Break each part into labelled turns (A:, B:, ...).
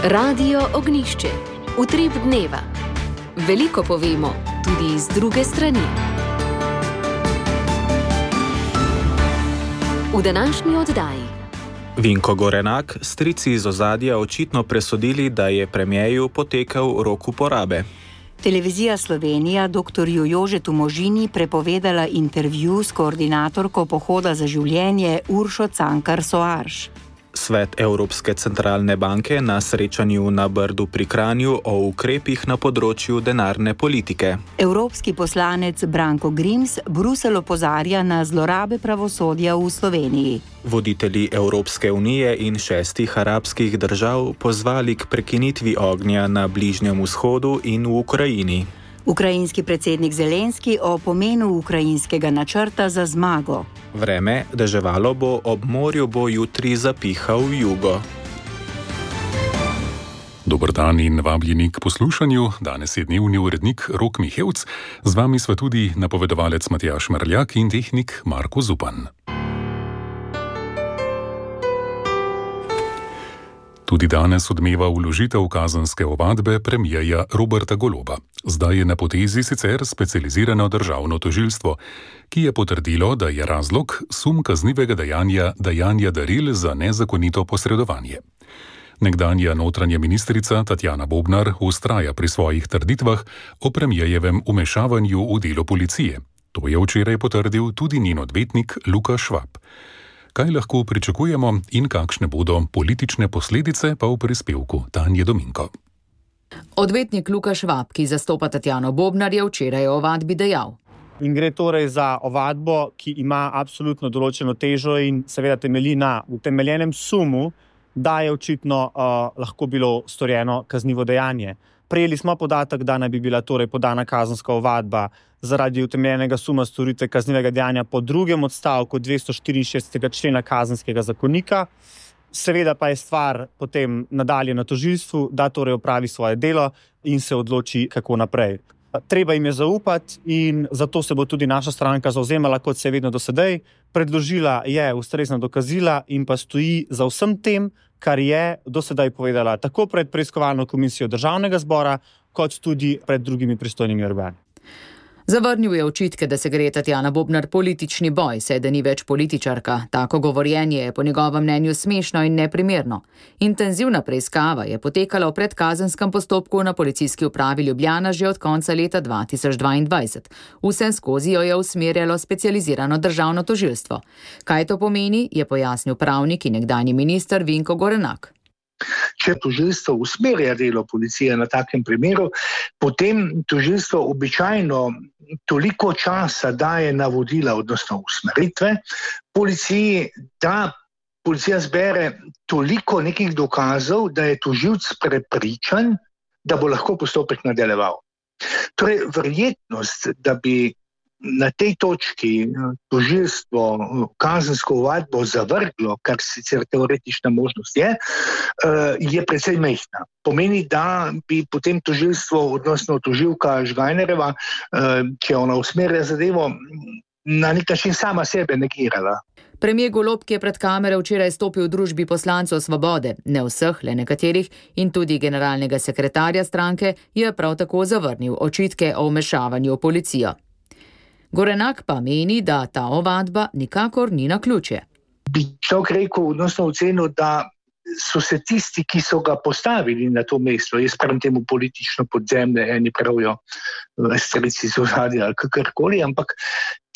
A: Radio Ognjišče. Utrip dneva. Veliko povemo, tudi iz druge strani. V današnji oddaji.
B: Vinko Gorenak, strici iz ozadja očitno presodili, da je premierju potekel rok uporabe.
C: Televizija Slovenija doktorju Jožetu Možini prepovedala intervju s koordinatorko Pohoda za življenje Uršo Cankar Soarš.
B: Svet Evropske centralne banke na srečanju na Brdu pri Kranju o ukrepih na področju denarne politike.
C: Evropski poslanec Branko Grims Bruselj opozarja na zlorabe pravosodja v Sloveniji.
B: Voditelji Evropske unije in 6 arabskih držav pozvali k prekinitvi ognja na Bližnjem vzhodu in v Ukrajini.
C: Ukrajinski predsednik Zelenski o pomenu ukrajinskega načrta za zmago.
B: Vreme, deževalo bo, ob morju bo jutri zapihal jugo.
D: Dober dan in vabljeni k poslušanju. Danes je dnevni urednik Rok Mihevc, z vami sva tudi napovedovalec Matjaž Merljak in tehnik Marko Zupan. Tudi danes odmeva vložitev kazenske ovadbe premierja Roberta Goloba. Zdaj je na potezi sicer specializirano državno tožilstvo, ki je potrdilo, da je razlog sum kaznivega dajanja daril za nezakonito posredovanje. Nekdanja notranja ministrica Tatjana Bobnar vztraja pri svojih trditvah o premierjevem vmešavanju v delo policije. To je včeraj potrdil tudi njen odvetnik Luka Švab. Kaj lahko pričakujemo in kakšne bodo politične posledice, pa v prispevku Tanje Dominko.
E: Odvetnik Luka Švab, ki zastopa Tatjano Bobnar, je včeraj o ovadbi dejal.
F: In gre torej za ovadbo, ki ima absolutno določeno težo in seveda temelji na utemeljenem sumu, da je očitno lahko bilo storjeno kaznivo dejanje. Prejeli smo podatek, da naj bi bila torej podana kazenska ovadba zaradi utemeljenega suma storitve kaznivega dejanja po drugem odstavku 264. člena kazenskega zakonika. Seveda pa je stvar potem nadalje na tožilstvu, da torej opravi svoje delo in se odloči, kako naprej. Treba jim je zaupati in zato se bo tudi naša stranka zavzemala, kot se je vedno do sedaj. Predložila je ustrezna dokazila in pa stoji za vsem tem, kar je do sedaj povedala tako pred preiskovalno komisijo Državnega zbora, kot tudi pred drugimi pristojnimi organi.
E: Zavrnil je očitke, da se gre Tatjana Bobnar politični boj, saj da ni več političarka. Tako govorjenje je po njegovem mnenju smešno in neprimerno. Intenzivna preiskava je potekala v predkazenskem postopku na policijski upravi Ljubljana že od konca leta 2022. Vse skozi jo je usmerjalo specializirano državno tožilstvo. Kaj to pomeni, je pojasnil pravnik in nekdanji minister Vinko Gorenak.
G: Če tožilstvo usmerja delo policije na takem primeru, potem tožilstvo običajno toliko časa daje navodila, odnosno usmeritve policiji, da policija zbere toliko nekih dokazov, da je tožilec prepričan, da bo lahko postopek nadaljeval. Torej, verjetnost, da bi na tej točki tožilstvo kazensko ovadbo zavrglo, kar sicer teoretična možnost je precej majhna. Pomeni, da bi potem tožilstvo, odnosno tožilka Žgajnerjeva, če ona usmerja zadevo, na nek način sama sebe negirala.
E: Premier Golob, ki je pred kamere včeraj stopil v družbi poslancev Svobode, ne vseh, le nekaterih, in tudi generalnega sekretarja stranke, je prav tako zavrnil očitke o vmešavanju v policijo. Gorenak pa meni, da ta ovadba nikakor ni naključje.
G: Bi človek rekel, odnosno ocenil, da so se tisti, ki so ga postavili na to mesto, jaz pravim temu politično podzemlje, eni pravijo strici z ozadja ali kakorkoli, ampak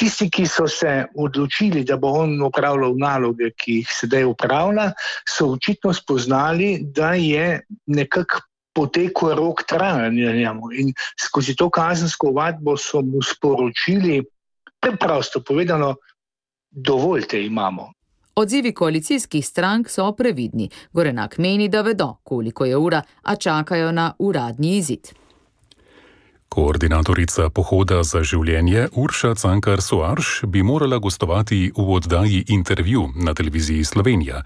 G: tisti, ki so se odločili, da bo on opravljal naloge, ki jih sedaj opravlja, so očitno spoznali, da je nekako potekel rok trajanja njemu in skozi to kazensko ovadbo so mu sporočili, preprosto povedano, dovolj te imamo.
E: Odzivi koalicijskih strank so previdni. Gorenak meni, da vedo, koliko je ura, a čakajo na uradni izid.
D: Koordinatorica Pohoda za življenje Urša Cankar Soarš bi morala gostovati v oddaji Intervju na televiziji Slovenija,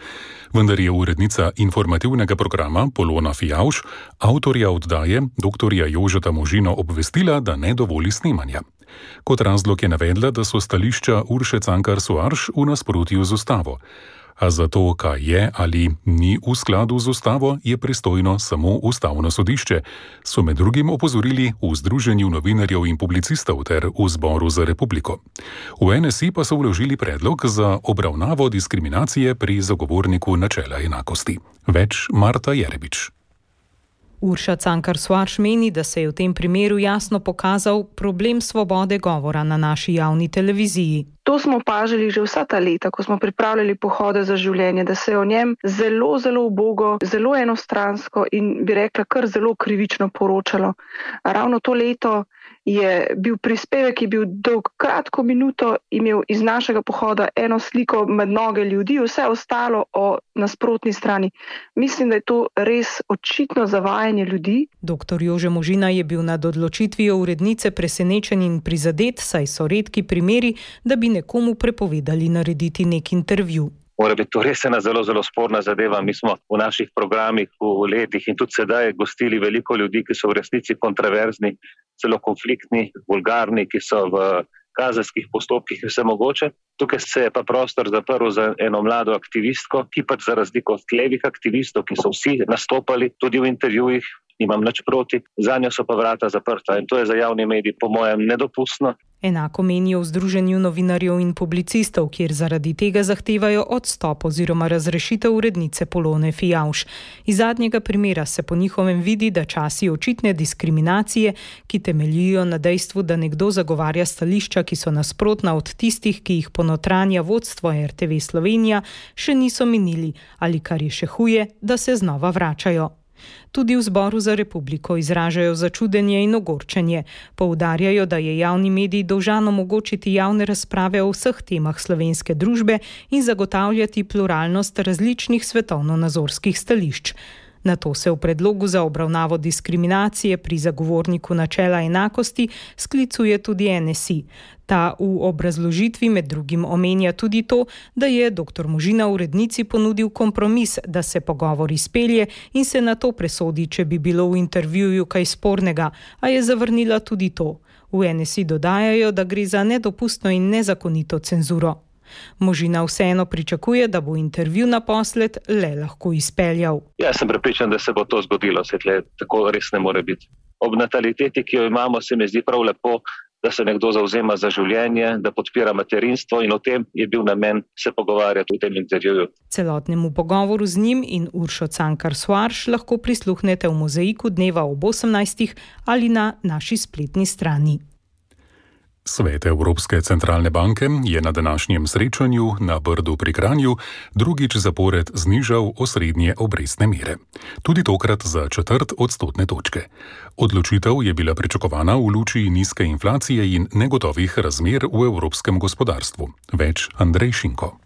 D: vendar je urednica informativnega programa Polona Fijavž avtorja oddaje doktorja Jožeta Možino obvestila, da ne dovoli snemanja. Kot razlog je navedla, da so stališča Urše Cankar Soarš v nasprotju z ustavo. A za to, kaj je ali ni v skladu z ustavo, je pristojno samo Ustavno sodišče, so med drugim opozorili v Združenju novinarjev in publicistov ter v Zboru za republiko. V NSI pa so vložili predlog za obravnavo diskriminacije pri zagovorniku načela enakosti. Več Marta Jerebič.
H: Urša Cankar Soares meni, da se je v tem primeru jasno pokazal problem svobode govora na naši javni televiziji.
I: To smo opažali že vsa ta leta, ko smo pripravljali pohode za življenje, da se je o njem zelo, zelo ubogo, zelo enostransko in bi rekla kar zelo krivično poročalo. Ravno to leto je bil prispevek, ki je bil dolg kratko minuto, imel iz našega pohoda eno sliko med noge ljudi, vse ostalo o nasprotni strani. Mislim, da je to res očitno zavajanje ljudi.
H: Dr. Jože Možina je bil nad odločitvijo urednice presenečen in prizadet, saj so redki primeri, da bi nekomu prepovedali narediti nek intervju.
J: Mora biti to res ena zelo, zelo sporna zadeva. Mi smo v naših programih v letih in tudi sedaj gostili veliko ljudi, ki so v resnici kontroverzni, celo konfliktni, vulgarni, ki so v kazenskih postopkih in vse mogoče. Tukaj se je pa prostor zaprl za eno mlado aktivistko, ki pač za razliko od levih aktivistov, ki so vsi nastopali tudi v intervjujih, nimam nič proti, zanjo so pa vrata zaprta in to je za javni medij po mojem nedopustno.
H: Enako menijo v Združenju novinarjev in publicistov, kjer zaradi tega zahtevajo odstop oziroma razrešitev urednice Polone Fijavž. Iz zadnjega primera se po njihovem vidi, da časi očitne diskriminacije, ki temeljijo na dejstvu, da nekdo zagovarja stališča, ki so nasprotna od tistih, ki jih ponotranja vodstvo RTV Slovenija, še niso minili ali, kar je še huje, da se znova vračajo. Tudi v Zboru za republiko izražajo začudenje in ogorčenje. Poudarjajo, da je javni medij dolžan omogočiti javne razprave o vseh temah slovenske družbe in zagotavljati pluralnost različnih svetovno-nazorskih stališč. Na to se v predlogu za obravnavo diskriminacije pri zagovorniku načela enakosti sklicuje tudi NSI. Ta v obrazložitvi med drugim omenja tudi to, da je dr. Možina urednici ponudil kompromis, da se pogovor izpelje in se na to presodi, če bi bilo v intervjuju kaj spornega, a je zavrnila tudi to. V NSI dodajajo, da gre za nedopustno in nezakonito cenzuro. Možina vseeno pričakuje, da bo intervju naposled le lahko izpeljal.
J: Jaz sem prepričan, da se bo to zgodilo, tako res ne more biti. Ob nataliteti, ki jo imamo, se mi zdi prav lepo, da se nekdo zavzema za življenje, da podpira materinstvo in o tem je bil namen se pogovarjati v tem intervjuju.
H: Celotnemu pogovoru z njim in Uršo Cankar Soares lahko prisluhnete v Mozaiku dneva ob 18. ali na naši spletni strani.
D: Svet Evropske centralne banke je na današnjem srečanju na Brdu pri Kranju drugič zapored znižal osrednje obrestne mere. Tudi tokrat za 0,25 odstotne točke. Odločitev je bila pričakovana v luči nizke inflacije in negotovih razmer v evropskem gospodarstvu. Več Andrej Šinko.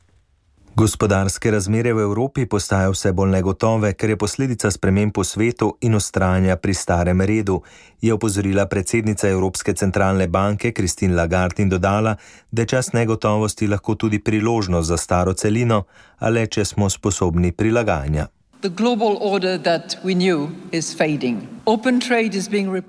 K: Gospodarske razmere v Evropi postajajo vse bolj negotove, ker je posledica sprememb po svetu in vztrajanja pri starem redu, je opozorila predsednica Evropske centralne banke Christine Lagarde in dodala, da je čas negotovosti lahko tudi priložnost za staro celino, a le če smo sposobni prilagajanja.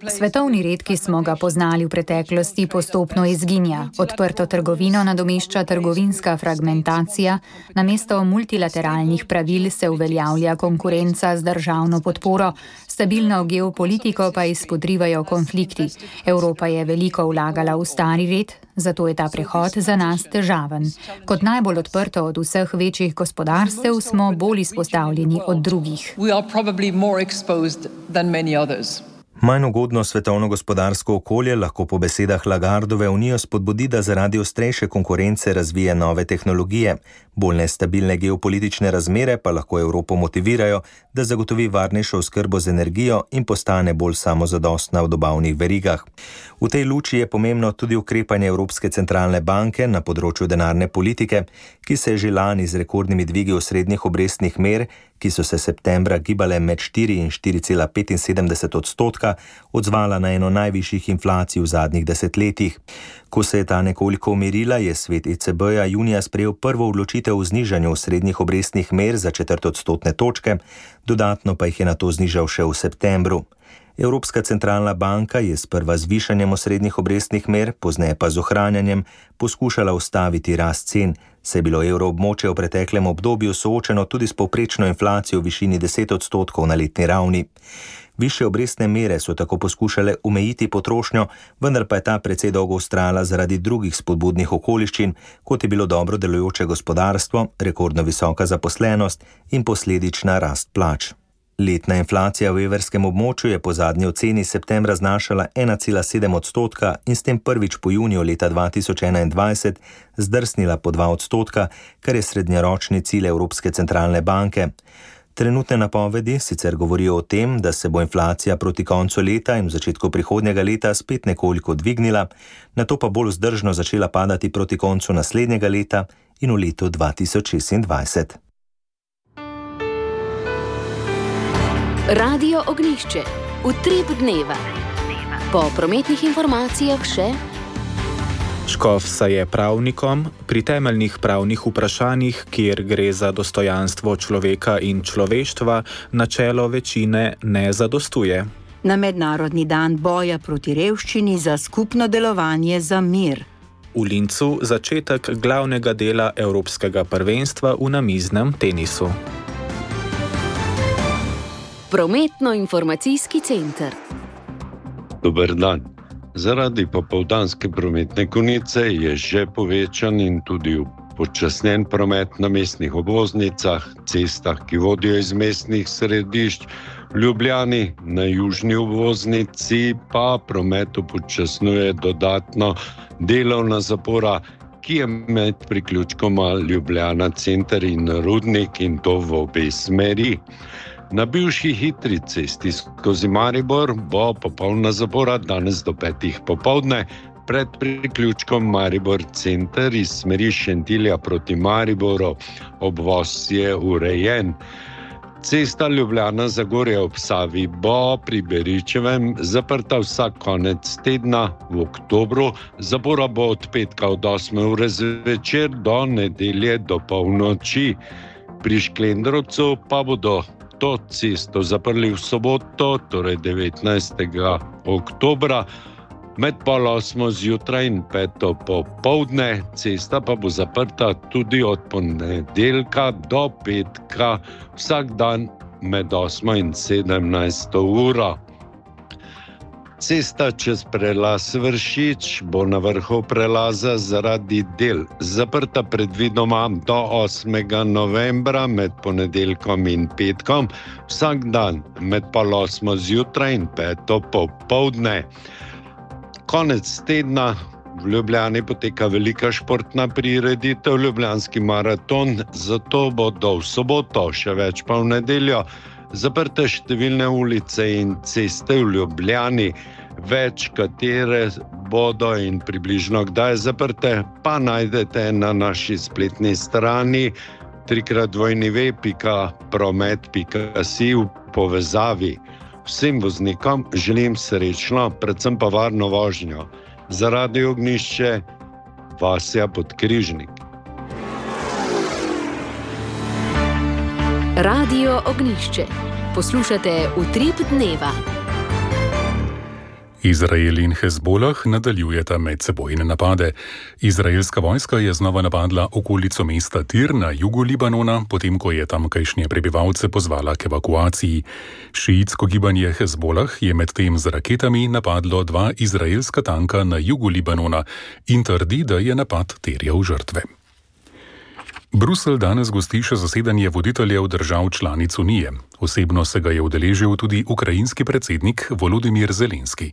L: Svetovni red, ki smo ga poznali v preteklosti, postopno izginja. Odprto trgovino nadomešča trgovinska fragmentacija, namesto multilateralnih pravil se uveljavlja konkurenca z državno podporo, stabilno geopolitiko pa izpodrivajo konflikti. Evropa je veliko vlagala v stari red, zato je ta prehod za nas težaven. Kot najbolj odprto od vseh večjih gospodarstev smo bolj izpostavljeni od drugih.
K: Manj ugodno svetovno gospodarsko okolje lahko po besedah Lagardove Unijo spodbudi, da zaradi ostrejše konkurence razvije nove tehnologije. Bolj nestabilne geopolitične razmere pa lahko Evropo motivirajo, da zagotovi varnejšo oskrbo z energijo in postane bolj samozadostna v dobavnih verigah. V tej luči je pomembno tudi ukrepanje Evropske centralne banke na področju denarne politike, ki se je že lani z rekordnimi dvigi osrednjih obrestnih mer, ki so se septembra gibale med 4 in 4,75 odstotka, odzvala na eno najvišjih inflacij v zadnjih desetletjih. Ko se je ta nekoliko umirila, je svet ECB-ja junija sprejel prvo odločitev o znižanju srednjih obrestnih mer za 0,25 odstotne točke, dodatno pa jih je nato znižal še v septembru. Evropska centralna banka je sprva z višanjem osrednjih obrestnih mer, pozneje pa z ohranjanjem, poskušala ustaviti rast cen, Se je bilo evroobmočje v preteklem obdobju soočeno tudi s povprečno inflacijo v višini 10% na letni ravni. Višje obrestne mere so tako poskušale omejiti potrošnjo, vendar pa je ta precej dolgo vztrajala zaradi drugih spodbudnih okoliščin, kot je bilo dobro delujoče gospodarstvo, rekordno visoka zaposlenost in posledična rast plač. Letna inflacija v evrskem območju je po zadnji oceni septembra znašala 1,7% in s tem prvič po juniju leta 2021 zdrsnila po 2%, kar je srednjeročni cilj Evropske centralne banke. Trenutne napovedi sicer govorijo o tem, da se bo inflacija proti koncu leta in v začetku prihodnjega leta spet nekoliko dvignila, nato pa bolj vzdržno začela padati proti koncu naslednjega leta in v letu 2026.
A: Radio Ognjišče. Utrip dneva. Po prometnih informacijah še:
B: Škof je pravnikom pri temeljnih pravnih vprašanjih, kjer gre za dostojanstvo človeka in človeštva, načelo večine ne zadostuje.
C: Na mednarodni dan boja proti revščini za skupno delovanje za mir.
B: V Lincu začetek glavnega dela Evropskega prvenstva v namiznem tenisu.
A: Prometno-informacijski center.
M: Dober dan. Zaradi popoldanske prometne konice je že povečan in tudi upočasnjen promet na mestnih obvoznicah, cestah, ki vodijo iz mestnih središč. V Ljubljani na južni obvoznici pa promet upočasnjuje dodatno delovna zapora, ki je med priključkoma Ljubljana center in Rudnik, in to v obe smeri. Na bivši hitri cesti skozi Maribor bo popolna zapora danes do 5. popoldne. Pred priključkom Maribor center iz smeri Šentilja proti Mariboru. Obvoz je urejen. Cesta Ljubljana-Zagorje ob Savi bo pri Beričevem zaprta vsak konec tedna v oktobru. Zapora bo od petka od 8. ure zvečer do nedelje do polnoči. Pri Šklendrovcu pa bodo to cesto zaprli v soboto, torej 19. oktobra, med 7:30 zjutraj in 5. popoldne. Cesta pa bo zaprta tudi od ponedeljka do petka, vsak dan med 8. in 17. uro. Cesta čez prelaz Vršič bo na vrhu prelaza zaradi del zaprta predvidoma do 8. novembra med ponedeljkom in petkom, vsak dan med 7:30 zjutraj in 5. popoldne. Konec tedna v Ljubljani poteka velika športna prireditev, Ljubljanski maraton, zato bodo v soboto, še več pa v nedeljo, zaprte številne ulice in ceste v Ljubljani. Več katere bodo in približno kdaj zaprte, pa najdete na naši spletni strani www.promet.si v povezavi. Vsem voznikom želim srečno, predvsem pa varno vožnjo. Za Radio Ognjišče, Vasja Podkrižnik.
A: Radio Ognjišče. Poslušate Utrip dneva.
D: Izrael in Hezbolah nadaljujeta medsebojne napade. Izraelska vojska je znova napadla okolico mesta Tir na jugu Libanona, potem ko je tamkajšnje prebivalce pozvala k evakuaciji. Šiitsko gibanje Hezbolah je medtem z raketami napadlo 2 izraelska tanka na jugu Libanona in trdi, da je napad terjal žrtve. Bruselj danes gosti še zasedanje voditeljev držav članic Unije. Osebno se ga je udeležil tudi ukrajinski predsednik Volodimir Zelenski.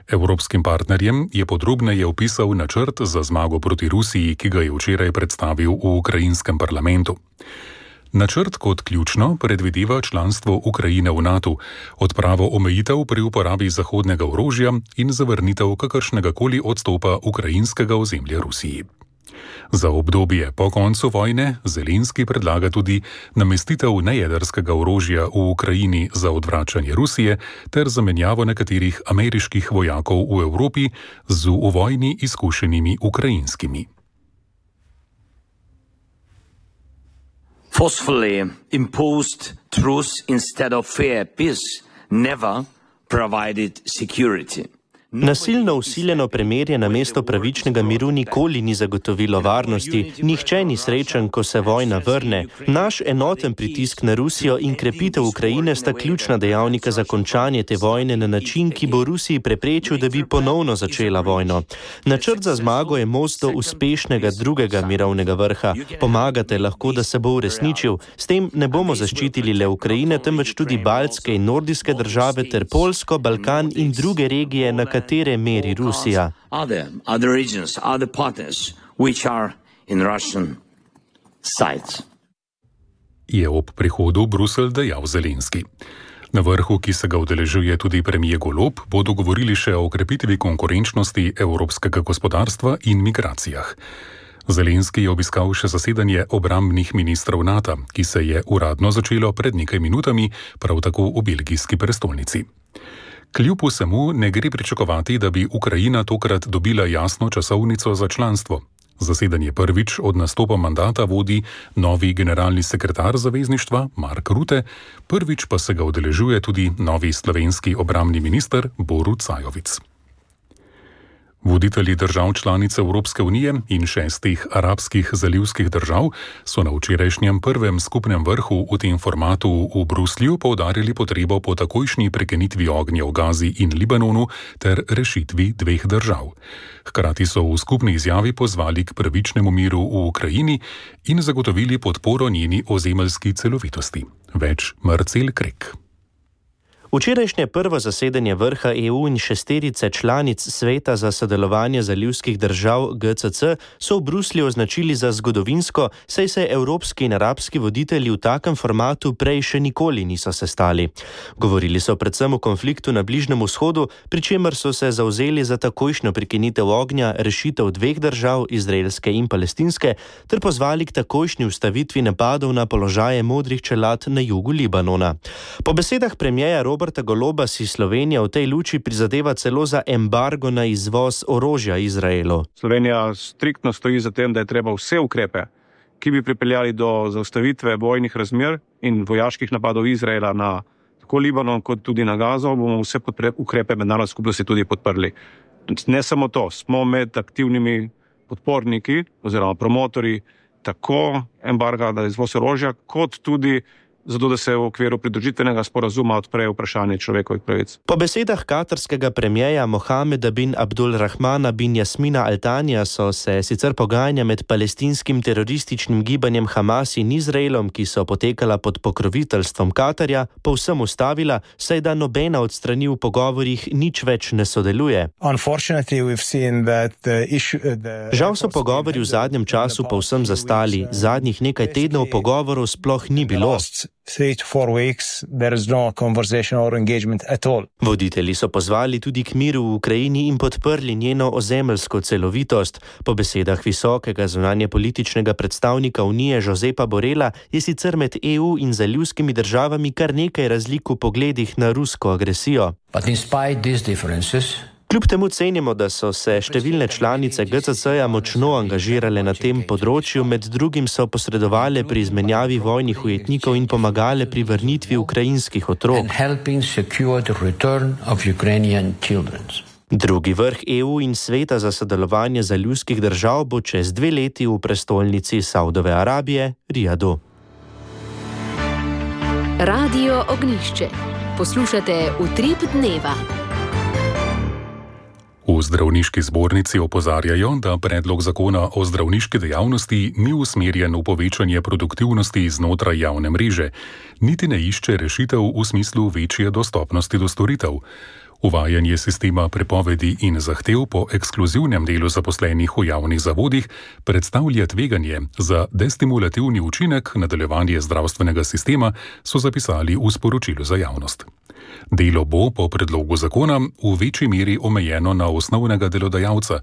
D: Evropskim partnerjem je podrobneje opisal načrt za zmago proti Rusiji, ki ga je včeraj predstavil v ukrajinskem parlamentu. Načrt kot ključno predvideva članstvo Ukrajine v NATO, odpravo omejitev pri uporabi zahodnega orožja in zavrnitev kakršnegakoli odstopa ukrajinskega ozemlja Rusiji. Za obdobje po koncu vojne Zelenski predlaga tudi namestitev nejedrskega orožja v Ukrajini za odvračanje Rusije ter zamenjavo nekaterih ameriških vojakov v Evropi z v vojni izkušenimi ukrajinskimi.
N: Forcefully imposed truce instead of fair peace never provided security.
O: Nasilno usiljeno premirje namesto pravičnega miru nikoli ni zagotovilo varnosti, nihče ni srečen, ko se vojna vrne. Naš enoten pritisk na Rusijo in krepitev Ukrajine sta ključna dejavnika za končanje te vojne na način, ki bo Rusiji preprečil, da bi ponovno začela vojno. Načrt za zmago je most do uspešnega drugega mirovnega vrha. Pomagate lahko, da se bo uresničil. S tem ne bomo zaščitili le Ukrajine, temveč tudi baltske in nordijske države ter Poljsko, Balkan in druge regije, na katere meri Rusija.
D: Je ob prihodu v Bruselj dejal Zelenski. Na vrhu, ki se ga udeležuje tudi premier Golob, bodo govorili še o okrepitvi konkurenčnosti evropskega gospodarstva in migracijah. Zelenski je obiskal še zasedanje obrambnih ministrov NATO, ki se je uradno začelo pred nekaj minutami, prav tako v belgijski prestolnici. Kljub vsemu ne gre pričakovati, da bi Ukrajina tokrat dobila jasno časovnico za članstvo. Zasedanje prvič od nastopa mandata vodi novi generalni sekretar zavezništva Mark Rutte, prvič pa se ga udeležuje tudi novi slovenski obrambni minister Borut Sajovic. Voditelji držav članic Evropske unije in 6 arabskih zalivskih držav so na včerajšnjem prvem skupnem vrhu v tem formatu v Bruslju poudarili potrebo po takojšnji prekinitvi ognja v Gazi in Libanonu ter rešitvi dveh držav. Hkrati so v skupni izjavi pozvali k pravičnemu miru v Ukrajini in zagotovili podporo njeni ozemeljski celovitosti. Več Marcel Krek.
O: Včerajšnje prvo zasedanje vrha EU in 6 članic Sveta za sodelovanje zalivskih držav GCC so v Bruslju označili za zgodovinsko, saj se evropski in arabski voditelji v takem formatu prej še nikoli niso sestali. Govorili so predvsem o konfliktu na Bližnjem vzhodu, pri čemer so se zavzeli za takojšnjo prekinitev ognja, rešitev dveh držav, izraelske in palestinske, ter pozvali k takojšnji ustavitvi napadov na položaje modrih čelad na jugu Libanona. Po besedah premierja Roberta Goloba si Slovenija v tej luči prizadeva celo za embargo na izvoz orožja Izraelu.
P: Slovenija striktno stoji za tem, da je treba vse ukrepe, ki bi pripeljali do zaustavitve vojnih razmer in vojaških napadov Izraela na tako Libanon kot tudi na Gazo, bomo vse ukrepe mednarodne skupnosti tudi podprli. Ne samo to, smo med aktivnimi podporniki oziroma promotorji tako embarga na izvoz orožja, kot tudi zato da se v okviru pridružitvenega sporazuma odpre vprašanje človekovih pravic.
O: Po besedah katarskega premierja Mohameda bin Abdulrahmana bin Jasmina Al-Tanija so se sicer pogajanja med palestinskim terorističnim gibanjem Hamas in Izraelom, ki so potekala pod pokroviteljstvom Katarja, povsem ustavila, saj da nobena od strani v pogovorih nič več ne sodeluje. Žal so pogovori v zadnjem času povsem zastali, zadnjih nekaj tednov pogovorov sploh ni bilo.
Q: 3 to 4 weeks, there is no conversation or engagement at all.
O: Voditelji so pozvali tudi k miru v Ukrajini in podprli njeno ozemeljsko celovitost. Po besedah visokega zunanjepolitičnega predstavnika Unije Josepa Borrella je sicer med EU in zalivskimi državami kar nekaj razlik v pogledih na rusko agresijo.
Q: But despite these differences,
O: kljub temu cenimo, da so se številne članice GCC-ja močno angažirale na tem področju, med drugim so posredovale pri izmenjavi vojnih ujetnikov in pomagale pri vrnitvi ukrajinskih otrok. Drugi vrh EU in Sveta za sodelovanje zalivskih držav bo čez 2 leti v prestolnici Saudove Arabije, Rijadu.
A: Radio Ognjišče. Poslušate Utrip dneva.
D: V zdravniški zbornici opozarjajo, da predlog zakona o zdravniški dejavnosti ni usmerjen v povečanje produktivnosti znotraj javne mreže, niti ne išče rešitev v smislu večje dostopnosti do storitev. Uvajanje sistema prepovedi in zahtev po ekskluzivnem delu zaposlenih v javnih zavodih predstavlja tveganje za destimulativni učinek nadaljevanja zdravstvenega sistema, so zapisali v sporočilu za javnost. Delo bo po predlogu zakona v večji meri omejeno na osnovnega delodajalca,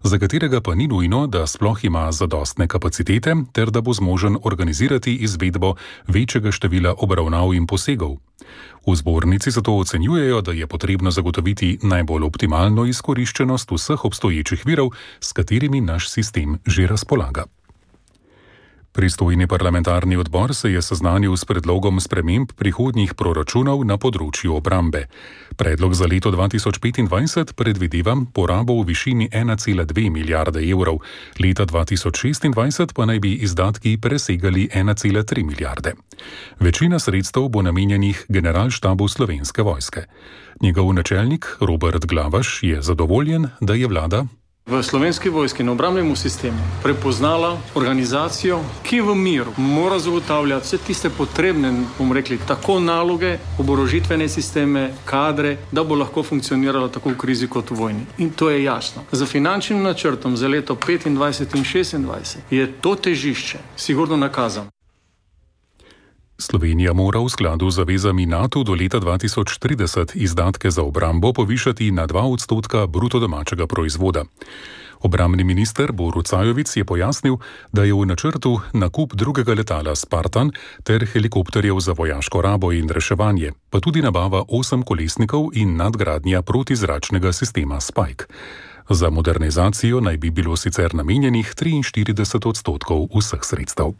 D: za katerega pa ni nujno, da sploh ima zadostne kapacitete ter da bo zmožen organizirati izvedbo večjega števila obravnav in posegov. V zbornici zato ocenjujejo, da je potrebno zagotoviti najbolj optimalno izkoriščenost vseh obstoječih virov, s katerimi naš sistem že razpolaga. Pristojni parlamentarni odbor se je seznanil s predlogom sprememb prihodnjih proračunov na področju obrambe. Predlog za leto 2025 predvideva porabo v višini 1,2 milijarde evrov, leta 2026 pa naj bi izdatki presegali 1,3 milijarde. Večina sredstev bo namenjenih Generalštabu Slovenske vojske. Njegov načelnik Robert Glavaš je zadovoljen, da je vlada
R: v Slovenski vojski in obrambnemu sistemu prepoznala organizacijo, ki v miru mora zagotavljati vse tiste potrebne, bomo rekli, tako naloge, oborožitvene sisteme, kadre, da bo lahko funkcionirala tako v krizi kot v vojni. In to je jasno. Za finančnim načrtom za leto 25 in 26 je to težišče sigurno nakazano.
D: Slovenija mora v skladu z zavezami NATO do leta 2030 izdatke za obrambo povišati na 2% bruto domačega proizvoda. Obrambni minister Borut Sajovic je pojasnil, da je v načrtu nakup drugega letala Spartan ter helikopterjev za vojaško rabo in reševanje, pa tudi nabava 8 kolesnikov in nadgradnja protizračnega sistema Spike. Za modernizacijo naj bi bilo sicer namenjenih 43% vseh sredstev.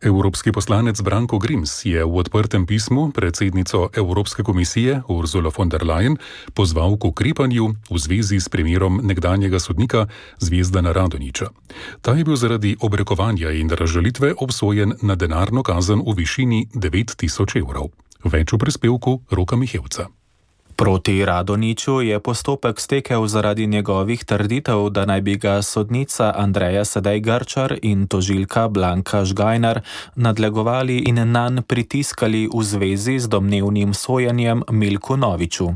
D: Evropski poslanec Branko Grims je v odprtem pismu predsednico Evropske komisije Ursula von der Leyen pozval k ukrepanju v zvezi s primerom nekdanjega sodnika Zvezdana Radonjića. Ta je bil zaradi obrekovanja in razžalitve obsojen na denarno kazen v višini 9.000 evrov. Več v prispevku Roka Mihevca.
B: Proti Radonjiću je postopek stekel zaradi njegovih trditev, da naj bi ga sodnica Andreja Sedej Grčar in tožilka Blanka Žgajnar nadlegovali in nanj pritiskali v zvezi z domnevnim sojenjem Milku Noviču.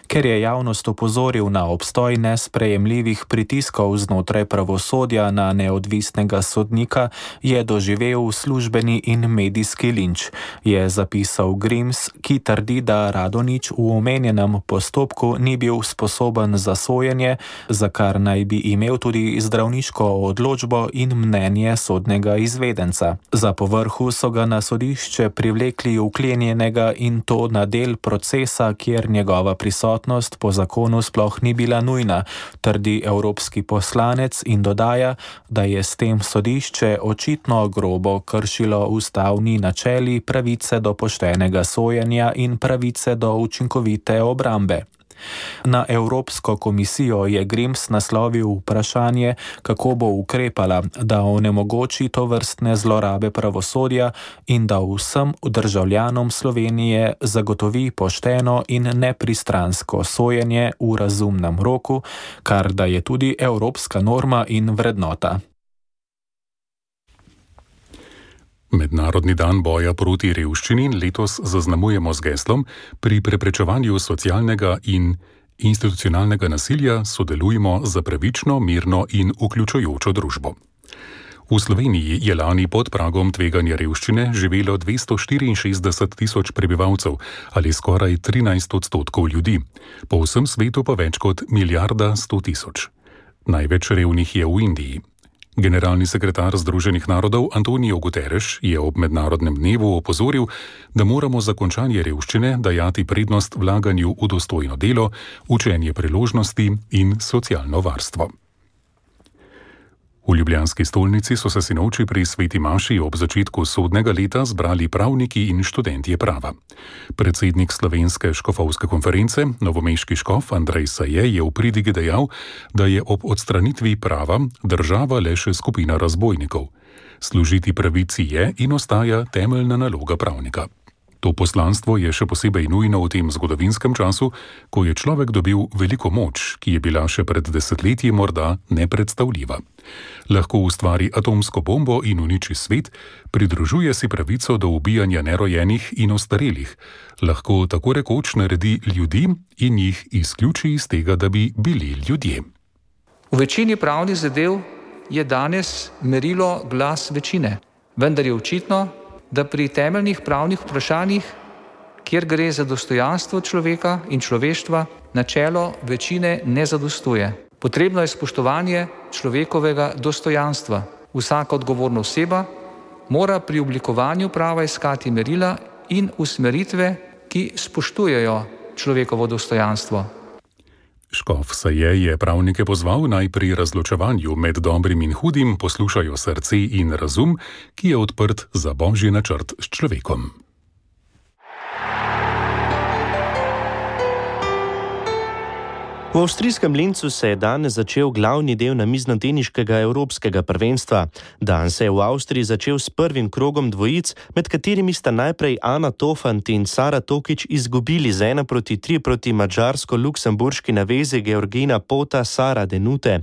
B: Ker je javnost opozoril na obstoj nesprejemljivih pritiskov znotraj pravosodja na neodvisnega sodnika, je doživel službeni in medijski linč, je zapisal Grims, ki trdi, da Radonjić v omenjenem postopku ni bil sposoben za sojenje, za kar naj bi imel tudi zdravniško odločbo in mnenje sodnega izvedenca. Za povrhu so ga na sodišče privlekli vklenjenega in to na del procesa, kjer njegova prisotnost po zakonu sploh ni bila nujna, trdi evropski poslanec in dodaja, da je s tem sodišče očitno grobo kršilo ustavni načeli pravice do poštenega sojenja in pravice do učinkovite obrambe. Na Evropsko komisijo je Grims naslovil vprašanje, kako bo ukrepala, da onemogoči tovrstne zlorabe pravosodja in da vsem državljanom Slovenije zagotovi pošteno in nepristransko sojenje v razumnem roku, kar da je tudi evropska norma in vrednota.
D: Mednarodni dan boja proti revščini letos zaznamujemo z geslom: pri preprečevanju socialnega in institucionalnega nasilja sodelujmo za pravično, mirno in vključujočo družbo. V Sloveniji je lani pod pragom tveganja revščine živelo 264 tisoč prebivalcev ali skoraj 13% ljudi, po vsem svetu pa več kot 1,1 milijarda. Največ revnih je v Indiji. Generalni sekretar Združenih narodov Antonio Guterres je ob mednarodnem dnevu opozoril, da moramo za končanje revščine dajati prednost vlaganju v dostojno delo, učenje priložnosti in socialno varstvo. V ljubljanski stolnici so se sinoči pri sveti maši ob začetku sodnega leta zbrali pravniki in študentje prava. Predsednik Slovenske škofovske konference, novomeški škof Andrej Saje, je v pridigi dejal, da je ob odstranitvi prava država le še skupina razbojnikov. Služiti pravici je in ostaja temeljna naloga pravnika. To poslanstvo je še posebej nujno v tem zgodovinskem času, ko je človek dobil veliko moč, ki je bila še pred desetletji morda nepredstavljiva. Lahko ustvari atomsko bombo in uniči svet, pridružuje si pravico do ubijanja nerojenih in ostarelih, lahko tako rekoč naredi ljudi in jih izključi iz tega, da bi bili ljudje.
S: V večini pravnih zadev je danes merilo glas večine, vendar je očitno, da pri temeljnih pravnih vprašanjih, kjer gre za dostojanstvo človeka in človeštva, načelo večine ne zadostuje. Potrebno je spoštovanje človekovega dostojanstva. Vsaka odgovorna oseba mora pri oblikovanju prava iskati merila in usmeritve, ki spoštujejo človekovo dostojanstvo.
D: Škof Saje je pravnike pozval naj pri razločevanju med dobrim in hudim poslušajo srce in razum, ki je odprt za božji načrt s človekom.
O: V avstrijskem Lincu se je danes začel glavni del namiznoteniškega evropskega prvenstva. Dan se je v Avstriji začel s prvim krogom dvojic, med katerimi sta najprej Ana Tofant in Sara Tokič izgubili z 1-3 proti mađarsko-luksemburški navezi Georgina Pota, Sara Denute.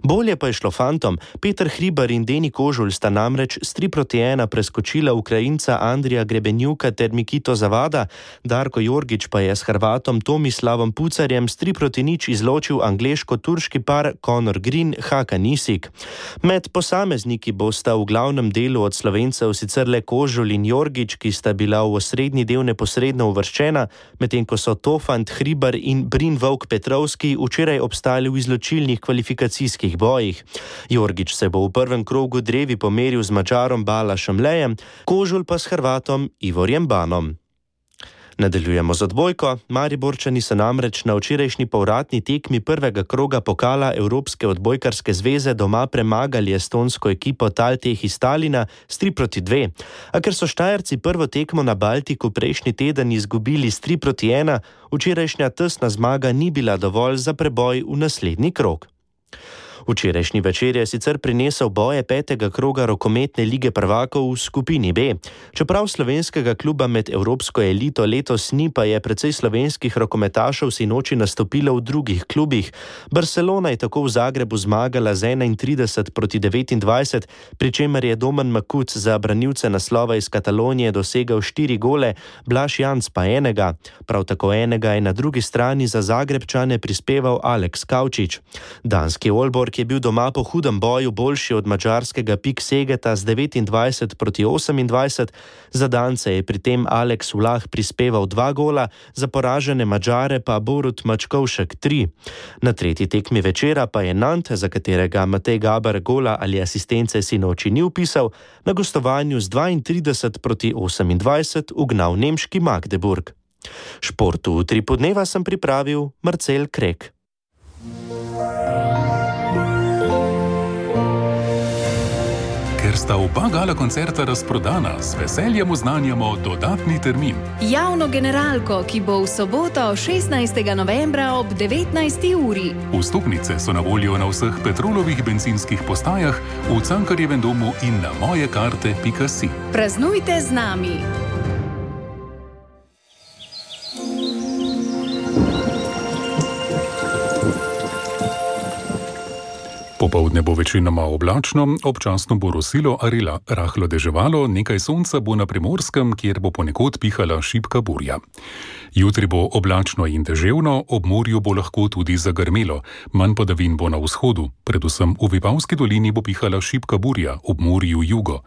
O: Bolje pa je šlo fantom. Peter Hribar in Deni Kožulj sta namreč s 3-1 preskočila Ukrajinca Andrija Grebenjuka ter Mikito Zavada, Darko Jorgič pa je s Hrvatom Tomislavom Pucarjem s 3-0 izločil angleško-turški par Conor Green, Hakan Isik. Med posamezniki bosta v glavnem delu od Slovencev sicer le Kožulj in Jorgič, ki sta bila v osrednji del neposredno uvrščena, medtem ko so Tofant, Hribar in Brin Vovk Petrovski včeraj obstali v izločilnih kvalifikacijskih bojih. Jorgič se bo v prvem krogu drevi pomeril z Mađarom Balašem Lejem, Kožulj pa s Hrvatom Ivorjem Banom. Nadaljujemo z odbojko. Mariborčani so namreč na včerajšnji povratni tekmi prvega kroga pokala Evropske odbojkarske zveze doma premagali estonsko ekipo Talteh iz Talina s 3-2. A ker so Štajerci prvo tekmo na Baltiku prejšnji teden izgubili s 3-1, včerajšnja tesna zmaga ni bila dovolj za preboj v naslednji krog. Včerajšnji večer je sicer prinesel boje 5. kroga rokometne lige prvakov v skupini B. Čeprav slovenskega kluba med evropsko elito letos ni, pa je precej slovenskih rokometašev sinoči nastopilo v drugih klubih. Barcelona je tako v Zagrebu zmagala z 31-29, pri čemer je Domen Makuc za branilce naslova iz Katalonije dosegel 4 gole, Blaž Janc pa enega. Prav tako enega je na drugi strani za Zagrebčane prispeval Aleks Kavčič. Danski Aalborg je bil doma po hudem boju boljši od mađarskega Pik Segeta z 29-28, za Dance je pri tem Aleks Vlah prispeval 2 gola, za poražene Mađare pa Borut Mačkovšek 3. Na tretji tekmi večera pa je Nantes, za katerega Matej Gaber gola ali asistence sinoči ni vpisal, na gostovanju z 32-28 ugnal nemški Magdeburg. Športu v 3 podneva sem pripravil Marcel Krek.
D: Ker sta oba gala koncerta razprodana, z veseljem oznanjamo dodatni termin.
A: Javno generalko, ki bo v soboto 16. novembra ob 19. uri.
D: Vstopnice so na voljo na vseh Petrolovih bencinskih postajah, v Cankarjevem domu in na mojekarte.si.
A: Praznujte z nami!
D: Popoldne bo večinoma oblačno, občasno bo rosilo ali rahlo deževalo, nekaj sonca bo na Primorskem, kjer bo ponekod pihala šibka burja. Jutri bo oblačno in deževno, ob morju bo lahko tudi zagrmelo, manj padavin bo na vzhodu, predvsem v Vipavski dolini bo pihala šibka burja, ob morju jugo.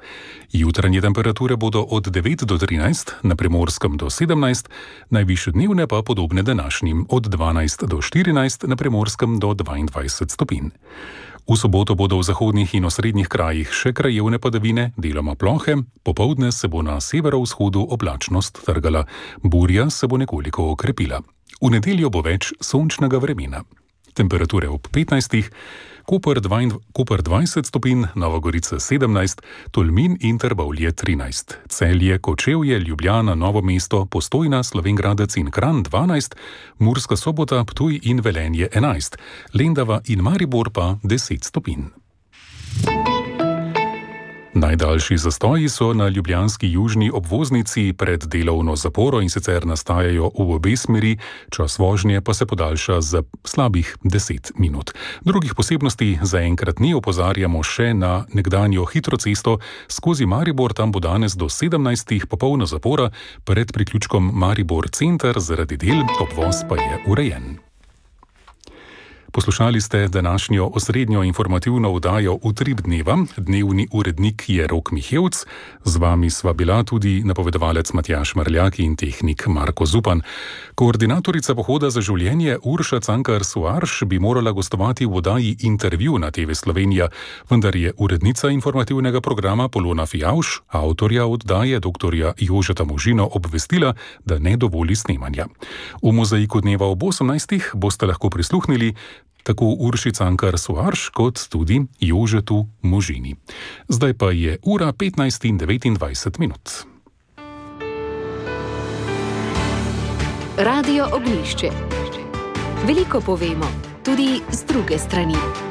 D: Jutranje temperature bodo od 9 do 13, na Primorskem do 17, najvišje dnevne pa podobne današnjim, od 12 do 14, na Primorskem do 22 stopinj. V soboto bodo v zahodnih in osrednjih krajih še krajevne padavine, deloma plohe, popoldne se bo na severovzhodu oblačnost trgala, burja se bo nekoliko okrepila. V nedeljo bo več sončnega vremena. Temperature ob 15, Koper 20 stopinj, Nova Gorica 17, Tolmin in Trbovlje 13, Celje, Kočevje, Ljubljana, Novo mesto, Postojna, Slovenj Gradec in Kranj 12, Murska Sobota, Ptuj in Velenje 11, Lendava in Maribor pa 10 stopinj. Najdaljši zastoji so na ljubljanski južni obvoznici pred delovno zaporo in sicer nastajajo v obe smeri, čas vožnje pa se podaljša za slabih 10 minut. Drugih posebnosti zaenkrat ni, opozarjamo še na nekdanjo hitro cesto skozi Maribor, tam bo danes do 17. popolna zapora, pred priključkom Maribor center zaradi del, obvoz pa je urejen. Poslušali ste današnjo osrednjo informativno oddajo Utrip dneva. Dnevni urednik je Rok Mihevc. Z vami sva bila tudi napovedovalec Matjaž Marljak in tehnik Marko Zupan. Koordinatorica Pohoda za življenje Urša Cankar Soarš bi morala gostovati v oddaji Intervju na TV Slovenija, vendar je urednica informativnega programa Polona Fijavš, avtorja oddaje dr. Jožeta Možino, obvestila, da ne dovoli snemanja. V mozaiku dneva ob 18. boste lahko prisluhnili tako Urši Cankar Soarš kot tudi Jožetu Možini. Zdaj pa je ura 15:29.
A: Radio Ognjišče. Veliko povemo, tudi z druge strani.